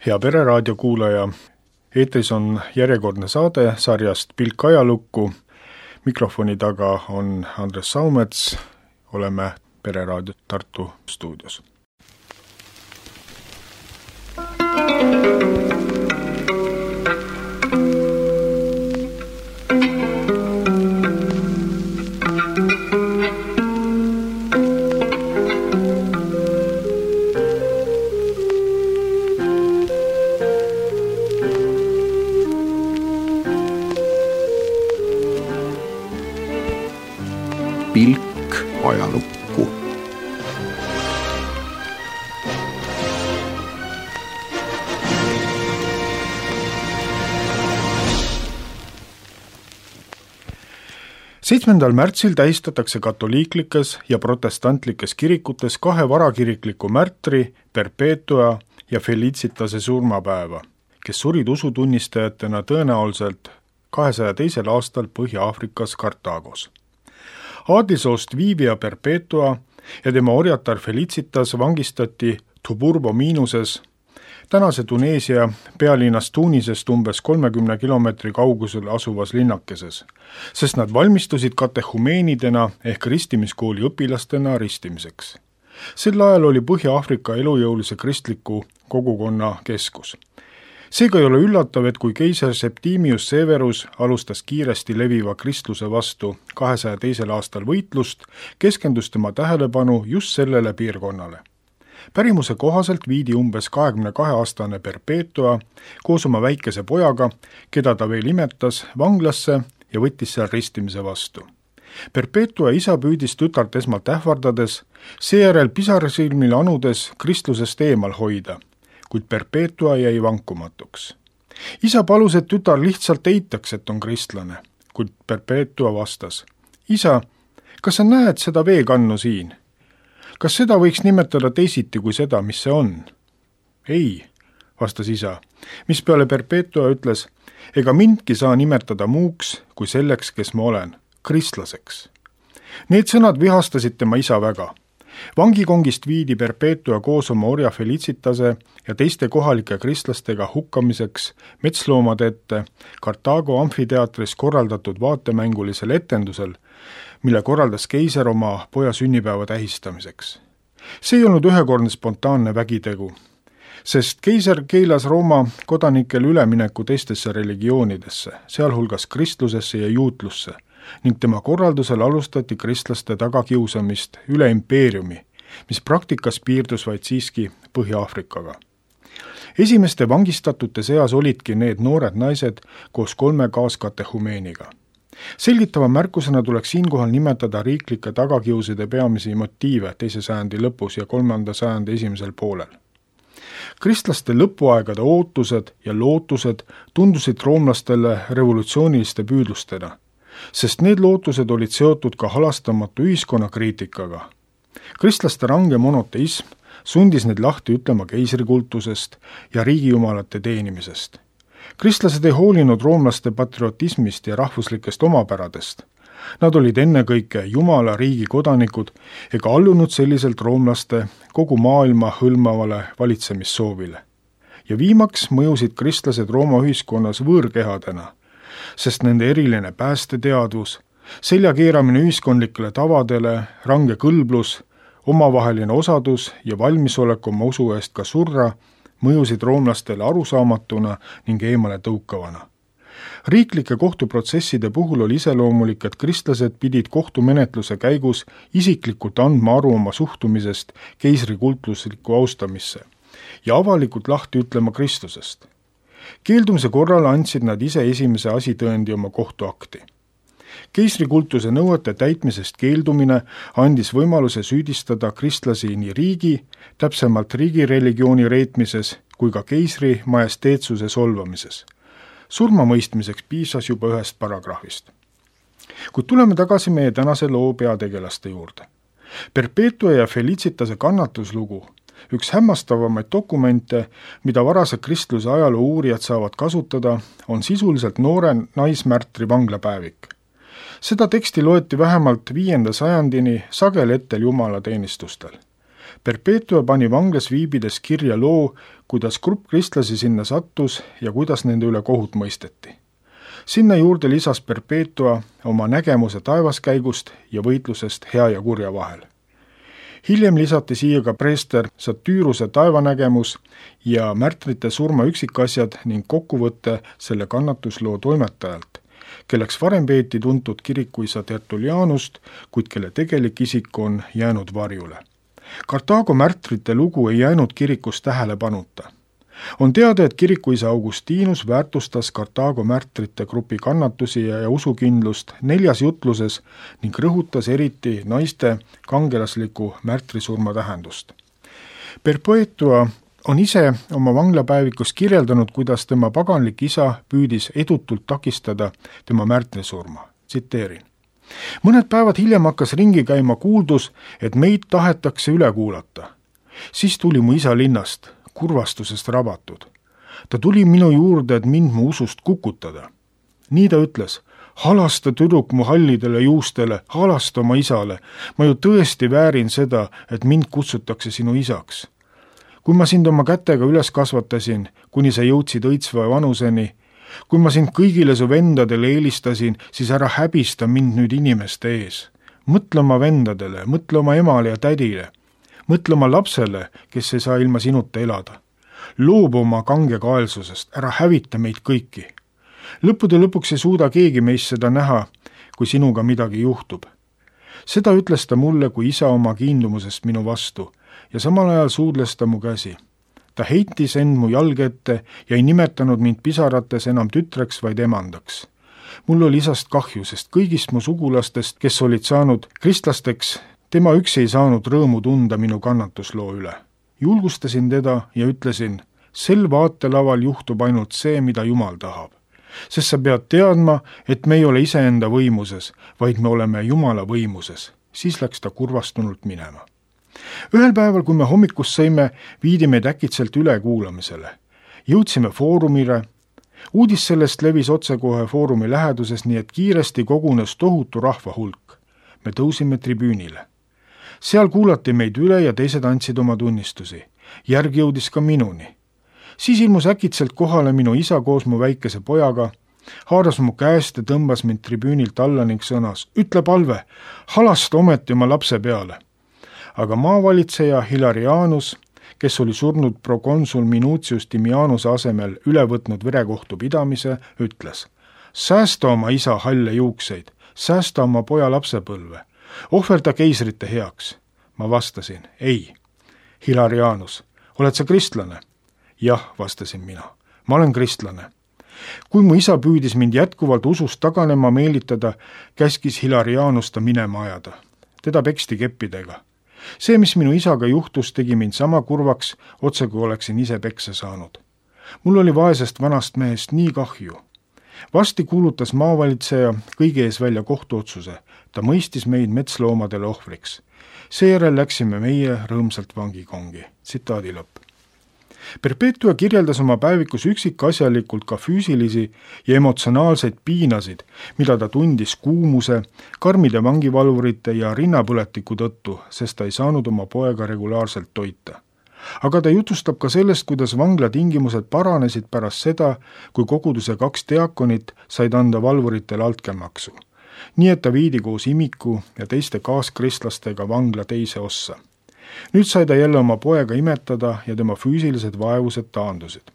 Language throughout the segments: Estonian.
Hea Pereraadio kuulaja, eetris on järjekordne saade sarjast Pilk ajalukku. Mikrofoni taga on Andres Saumets, oleme Pereraadio Tartu stuudios. Pilk ajalukku. Märtsil tähistatakse katoliiklikes ja protestantlikes kirikutes kahe varakirikliku märtri Perpetua ja Felicitase surmapäeva, kes surid usutunnistajatena tõenäoliselt 202. aastal Põhja-Aafrikas Kartaagos. Aadlisoost Vivia Perpetua ja tema orjatar Felicitas vangistati Tuburbo miinuses, tänase Tuneesia pealinnast Tunisest umbes 30 kilomeetri kaugusel asuvas linnakeses, sest nad valmistusid katehumeenidena ehk ristimiskooli õpilastena ristimiseks. Sel ajal oli Põhja-Aafrika elujõulise kristliku kogukonna keskus. Seega ei ole üllatav, et kui keiser Septimius Severus alustas kiiresti leviva kristluse vastu 202. aastal võitlust, keskendus tema tähelepanu just sellele piirkonnale. Pärimuse kohaselt viidi umbes 22-aastane Perpetua koos oma väikese pojaga, keda ta veel imetas, vanglasse ja võttis seal ristimise vastu. Perpetua isa püüdis tütart esmalt ähvardades, seejärel pisarsilmil anudes kristlusest eemal hoida, kuid Perpetua jäi vankumatuks. Isa palus, et tütar lihtsalt eitaks, et on kristlane, kuid Perpetua vastas: "Isa, kas sa näed seda veekannu siin? Kas seda võiks nimetada teisiti kui seda, mis see on?" "Ei," vastas isa, mispeale Perpetua ütles: "Ega mindki saa nimetada muuks kui selleks, kes ma olen, kristlaseks." Need sõnad vihastasid tema isa väga. Vangikongist viidi Perpetua koos oma orja Felicitase ja teiste kohalike kristlastega hukkamiseks metsloomade ette Kartaago amfiteatris korraldatud vaatemängulisel etendusel, mille korraldas keiser oma poja sünnipäeva tähistamiseks. See ei olnud ühekordne spontaanne vägitegu, sest keiser keelas Rooma kodanikel ülemineku teistesse religioonidesse, sealhulgas kristlusesse ja juutlusse, ning tema korraldusel alustati kristlaste tagakiusamist üle impeeriumi, mis praktikas piirdus vaid siiski Põhja-Aafrikaga. Esimeste vangistatute seas olidki need noored naised koos 3 kaaskatehumeeniga. Selgitava märkusena tuleks siinkohal nimetada riiklike tagakiuside peamisi motiive 2. sajandi lõpus ja 3. sajandi esimesel poolel. Kristlaste lõpuaegade ootused ja lootused tundusid roomlastele revolutsiooniliste püüdlustena, sest need lootused olid seotud ka halastamatu ühiskonnakriitikaga. Kristlaste range monoteism sundis neid lahti ütlema keisrikultusest ja riigijumalate teenimisest. Kristlased ei hoolinud roomlaste patriotismist ja rahvuslikest omapäradest. Nad olid ennekõike Jumala riigi kodanikud ega allunud selliselt roomlaste kogu maailma hõlmavale valitsemissoovile. Ja viimaks mõjusid kristlased Rooma ühiskonnas võõrkehadena, sest nende eriline päästeteadvus, seljakeeramine ühiskondlikele tavadele, range kõlblus, omavaheline osadus ja valmisolek oma usu eest ka surra mõjusid roomlastele arusaamatuna ning eemale tõukavana. Riiklike kohtuprotsesside puhul oli iseloomulik, et kristlased pidid kohtumenetluse käigus isiklikult andma aru oma suhtumisest keisrikultuslikku austamisse ja avalikult lahti ütlema Kristusest. Keeldumise korral andsid nad ise esimese asitõendi oma kohtuakti. Keisrikultuse nõuete täitmisest keeldumine andis võimaluse süüdistada kristlasi nii riigi, täpsemalt riigireligiooni reetmises, kui ka keisri majesteetsuse solvamises. Surmamõistmiseks piisas juba 1 paragrahvist. Kuid tuleme tagasi meie tänase loo peategelaste juurde. Perpetua ja Felicitase kannatuslugu, üks hämmastavamaid dokumente, mida varase kristluse ajaloo uurijad saavad kasutada, on sisuliselt noore naismärtri vanglapäevik. Seda teksti loeti vähemalt 5. sajandini sageli ettel jumalateenistustel. Perpetua pani vanglas viibides kirja loo, kuidas grupp kristlasi sinna sattus ja kuidas nende üle kohut mõisteti. Sinna juurde lisas Perpetua oma nägemuse taevaskäigust ja võitlusest hea ja kurja vahel. Hiljem lisati siia ka preester Satüruse taevanägemus ja märtrite surma üksikasjad ning kokkuvõte selle kannatusloo toimetajalt, kelleks varem peeti tuntud kirikuisa Tertullianust, kuid kelle tegelik isik on jäänud varjule. Kartaago märtrite lugu ei jäänud kirikus tähelepanuta. On teada, et kirikuisa Augustinus väärtustas Kartaago märtrite grupi kannatusi ja usukindlust 4 jutluses ning rõhutas eriti naiste kangelasliku märtrisurma tähendust. Perpetua on ise oma vanglapäevikus kirjeldanud, kuidas tema paganlik isa püüdis edutult takistada tema märtrisurma. Tsiteerin. Mõned päevad hiljem hakkas ringi käima kuuldus, et meid tahetakse üle kuulata. Siis tuli mu isa linnast, kurvastusest rabatud. Ta tuli minu juurde, et mind mu usust kukutada. Nii ta ütles, halasta tüdruk mu hallidele juustele, halasta oma isale. Ma ju tõesti väärin seda, et mind kutsutakse sinu isaks. Kui ma sind oma kätega üles kasvatasin, kuni sa jõudsid õitsva vanuseni, kui ma sind kõigile su vendadele eelistasin, siis ära häbista mind nüüd inimeste ees. Mõtle oma vendadele, mõtle oma emale ja tädile. Mõtle oma lapsele, kes ei saa ilma sinuta elada. Loobu oma kangekaelsusest, ära hävita meid kõiki. Lõppude lõpuks ei suuda keegi meist seda näha, kui sinuga midagi juhtub. Seda ütles ta mulle kui isa oma kiindumusest minu vastu ja samal ajal suudles ta mu käsi. Ta heitis end mu jalge ette ja ei nimetanud mind pisarates enam tütreks, vaid emandaks. Mul oli isast kahju, sest kõigist mu sugulastest, kes olid saanud kristlasteks, tema üksi ei saanud rõõmu tunda minu kannatusloo üle. Julgustasin teda ja ütlesin, sel vaatelaval juhtub ainult see, mida Jumal tahab. Sest sa pead teadma, et me ei ole iseenda võimuses, vaid me oleme Jumala võimuses. Siis läks ta kurvastunult minema. Ühel päeval, kui me hommikust sõime, viidi meid äkitselt ülekuulamisele. Jõudsime foorumile. Uudis sellest levis otsekohe foorumi läheduses, nii et kiiresti kogunes tohutu rahva hulk. Me tõusime tribüünile. Seal kuulati meid üle ja teised andsid oma tunnistusi. Järg jõudis ka minuni. Siis ilmus äkitselt kohale minu isa koos mu väikese pojaga, haaras mu käest ja tõmbas mind tribüünilt alla ning sõnas, ütle palve, halasta ometi oma lapse peale. Aga maavalitseja Hilarianus, kes oli surnud prokonsul Minutius Timianuse asemel üle võtnud verekohtu pidamise, ütles, säästa oma isa halle juukseid, säästa oma poja lapsepõlve, ohverda keisrite heaks. Ma vastasin, ei. Hilarianus, oled sa kristlane? Jah, vastasin mina. Ma olen kristlane. Kui mu isa püüdis mind jätkuvalt usust taganema meelitada, käskis Hilarianus ta minema ajada. Teda peksti keppidega. See, mis minu isaga juhtus, tegi mind sama kurvaks, otse kui oleksin ise peksa saanud. Mul oli vaesest vanast mehest nii kahju. Vasti kuulutas maavalitseja kõige ees välja kohtuotsuse. Ta mõistis meid metsloomadele ohvriks. Seejärel läksime meie rõõmsalt vangikongi. Tsitaadi lõpp. Perpetua kirjeldas oma päevikus üksikasjalikult ka füüsilisi ja emotsionaalseid piinasid, mida ta tundis kuumuse, karmide vangivalvurite ja rinnapõletiku tõttu, sest ta ei saanud oma poega regulaarselt toita. Aga ta jutustab ka sellest, kuidas vangla tingimused paranesid pärast seda, kui koguduse 2 diakonit said anda valvuritele altkäemaksu. Nii et ta viidi koos imiku ja teiste kaaskristlastega vangla teise ossa. Nüüd sai ta jälle oma poega imetada ja tema füüsilised vaevused taandusid.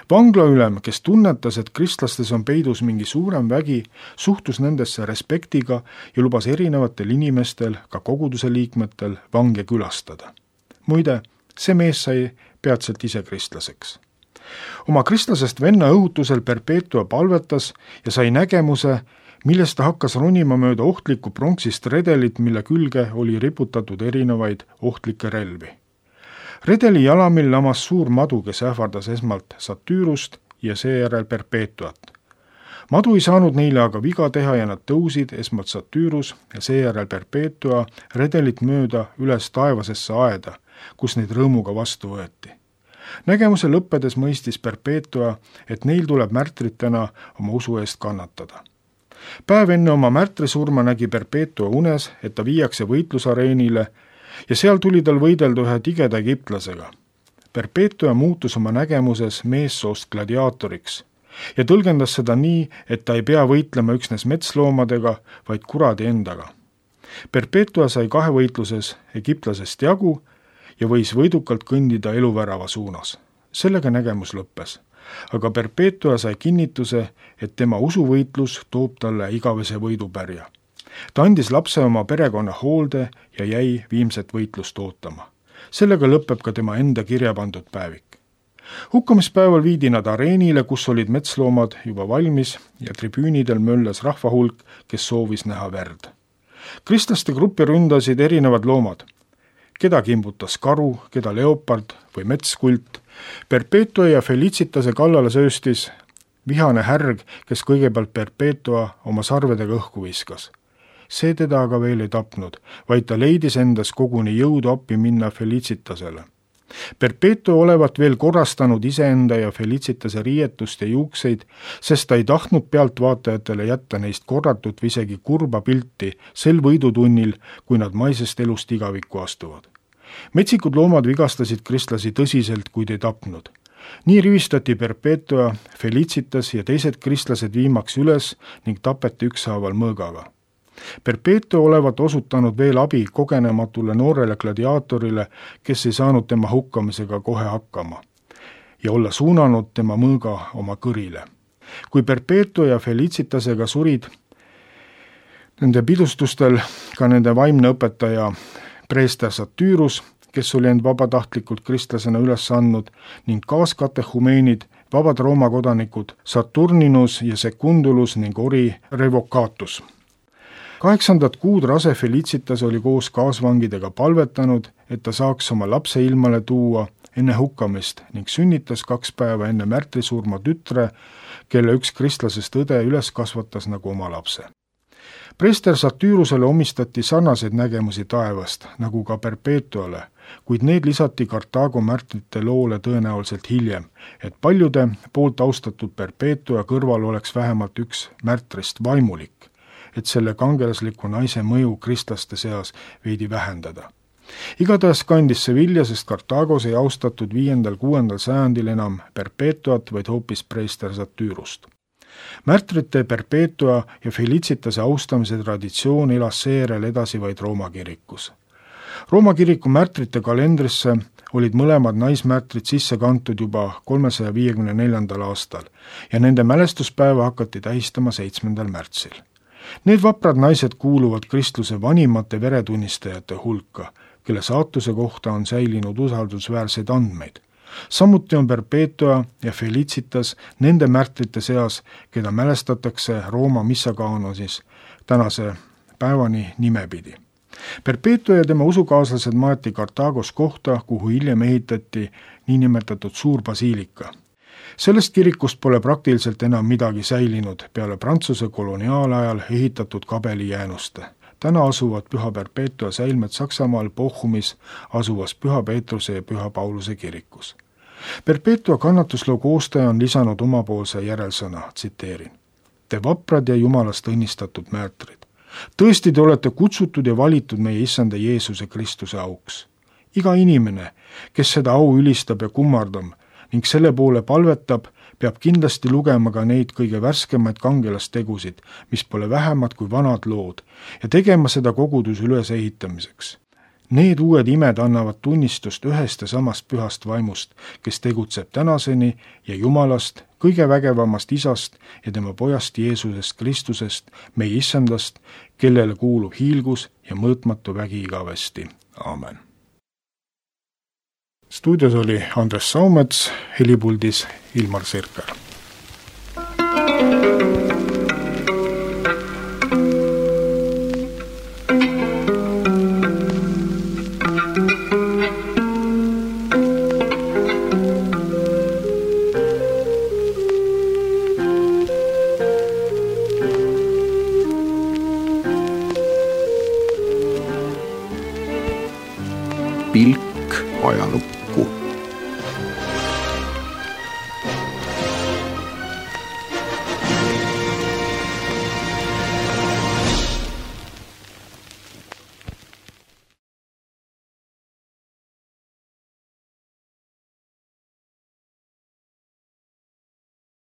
Vanglaülem, kes tunnetas, et kristlastes on peidus mingi suurem vägi, suhtus nendesse respektiga ja lubas erinevatel inimestel, ka koguduse liikmetel, vange külastada. Muide, see mees sai peatselt ise kristlaseks. Oma kristlasest venna õhutusel Perpetua palvetas ja sai nägemuse, millest ta hakkas ronima mööda ohtlikku pronksist redelit, mille külge oli riputatud erinevaid ohtlikke relvi. Redeli jalamil lamas suur madu, kes ähvardas esmalt Satürust ja seejärel Perpetuat. Madu ei saanud neile aga viga teha ja nad tõusid esmalt Satürus ja seejärel Perpetua redelit mööda üles taevasesse aeda, kus neid rõõmuga vastu võeti. Nägemuse lõppedes mõistis Perpetua, et neil tuleb märtritena oma usu eest kannatada. Päev enne oma märtrisurma nägi Perpetua unes, et ta viiakse võitlusareenile ja seal tuli tal võidelda ühe tigeda egiptlasega. Perpetua muutus oma nägemuses meessoost gladiaatoriks ja tõlgendas seda nii, et ta ei pea võitlema üksnes metsloomadega, vaid kuradi endaga. Perpetua sai kahevõitluses egiptlasest jagu ja võis võidukalt kõndida eluvärava suunas. Sellega nägemus lõppes, aga Perpetua sai kinnituse, et tema usuvõitlus toob talle igavese võidupärja. Ta andis lapse oma perekonna hoolde ja jäi viimset võitlust ootama. Sellega lõpeb ka tema enda kirja pandud päevik. Hukkamispäeval viidi nad areenile, kus olid metsloomad juba valmis ja tribüünidel möllas rahva hulk, kes soovis näha verd. Kristlaste gruppi ründasid erinevad loomad. Keda kimbutas karu, keda leopard või metskult. Perpetua ja Felicitase kallale sööstis vihane härg, kes kõigepealt Perpetua oma sarvedega õhku viskas. See teda aga veel ei tapnud, vaid ta leidis endas koguni jõudu appi minna Felicitasele. Perpetua olevat veel korrastanud iseenda ja Felicitase riietust ja juukseid, sest ta ei tahtnud pealtvaatajatele jätta neist korratut või isegi kurba pilti sel võidutunnil, kui nad maisest elust igavikku astuvad. Metsikud loomad vigastasid kristlasi tõsiselt, kuid ei tapnud. Nii rivistati Perpetua, Felicitas ja teised kristlased viimaks üles ning tapeti ükshaaval mõõgaga. Perpetua olevat osutanud veel abi kogenematule noorele gladiaatorile, kes ei saanud tema hukkamisega kohe hakkama ja olla suunanud tema mõõga oma kõrile. Kui Perpetua ja Felicitasega surid nende pidustustel ka nende vaimne õpetaja preester Satyrus, kes oli end vabatahtlikult kristlasena üles andnud, ning kaaskatehumeenid, vabad Rooma kodanikud Saturninus ja Secundulus ning ori Revocatus. 8. kuud rase Felicitas oli koos kaasvangidega palvetanud, et ta saaks oma lapse ilmale tuua enne hukkamist ning sünnitas 2 päeva enne märtrisurma tütre, kelle üks kristlasest õde üles kasvatas nagu oma lapse. Preester Satyrusele omistati sarnaseid nägemusi taevast, nagu ka Perpetuale, kuid need lisati Kartaago märtrite loole tõenäoliselt hiljem, et paljude poolt austatud Perpetua kõrval oleks vähemalt üks märtrist vaimulik, et selle kangelasliku naise mõju kristlaste seas veidi vähendada. Igatahes kandis see vilja, sest Kartaagos ei austatud 5.–6. sajandil enam Perpetuat, vaid hoopis preester Satyrust. Märtrite Perpetua ja Felicitase austamise traditsioon elas seejärel edasi vaid Rooma kirikus. Rooma kiriku märtrite kalendrisse olid mõlemad naismärtrid sisse kantud juba 354. aastal ja nende mälestuspäeva hakati tähistama 7. märtsil. Need vaprad naised kuuluvad kristluse vanimate veretunnistajate hulka, kelle saatuse kohta on säilinud usaldusväärseid andmeid. Samuti on Perpetua ja Felicitas nende märtrite seas, keda mälestatakse Rooma missakaanosis tänase päevani nimepidi. Perpetua ja tema usukaaslased maeti Kartaagos kohta, kuhu hiljem ehitati niinimetatud suur basiilika. Sellest kirikust pole praktiliselt enam midagi säilinud peale Prantsuse koloniaalajal ehitatud kabelijäänuste. Täna asuvad Püha Perpetua säilmed Saksamaal Bochumis asuvas Püha Peetruse ja Püha Pauluse kirikus. Perpetua kannatusloo koostaja on lisanud omapoolse järelsõna, tsiteerin. Te vaprad ja Jumalast õnnistatud märtrid. Tõesti te olete kutsutud ja valitud meie issanda Jeesuse Kristuse auks. Iga inimene, kes seda au ülistab ja kummardab ning selle poole palvetab, peab kindlasti lugema ka neid kõige värskemaid kangelastegusid, mis pole vähemad kui vanad lood, ja tegema seda koguduse ülesehitamiseks. Need uued imed annavad tunnistust ühest ja samast pühast vaimust, kes tegutseb tänaseni ja Jumalast, kõige vägevamast Isast ja tema pojast Jeesusest Kristusest, meie issandast, kellele kuulub hiilgus ja mõõtmatu vägi igavesti. Aamen. Stuudios oli Andres Saumets, helipuldis Ilmar Sirker. Pilk ajalukku.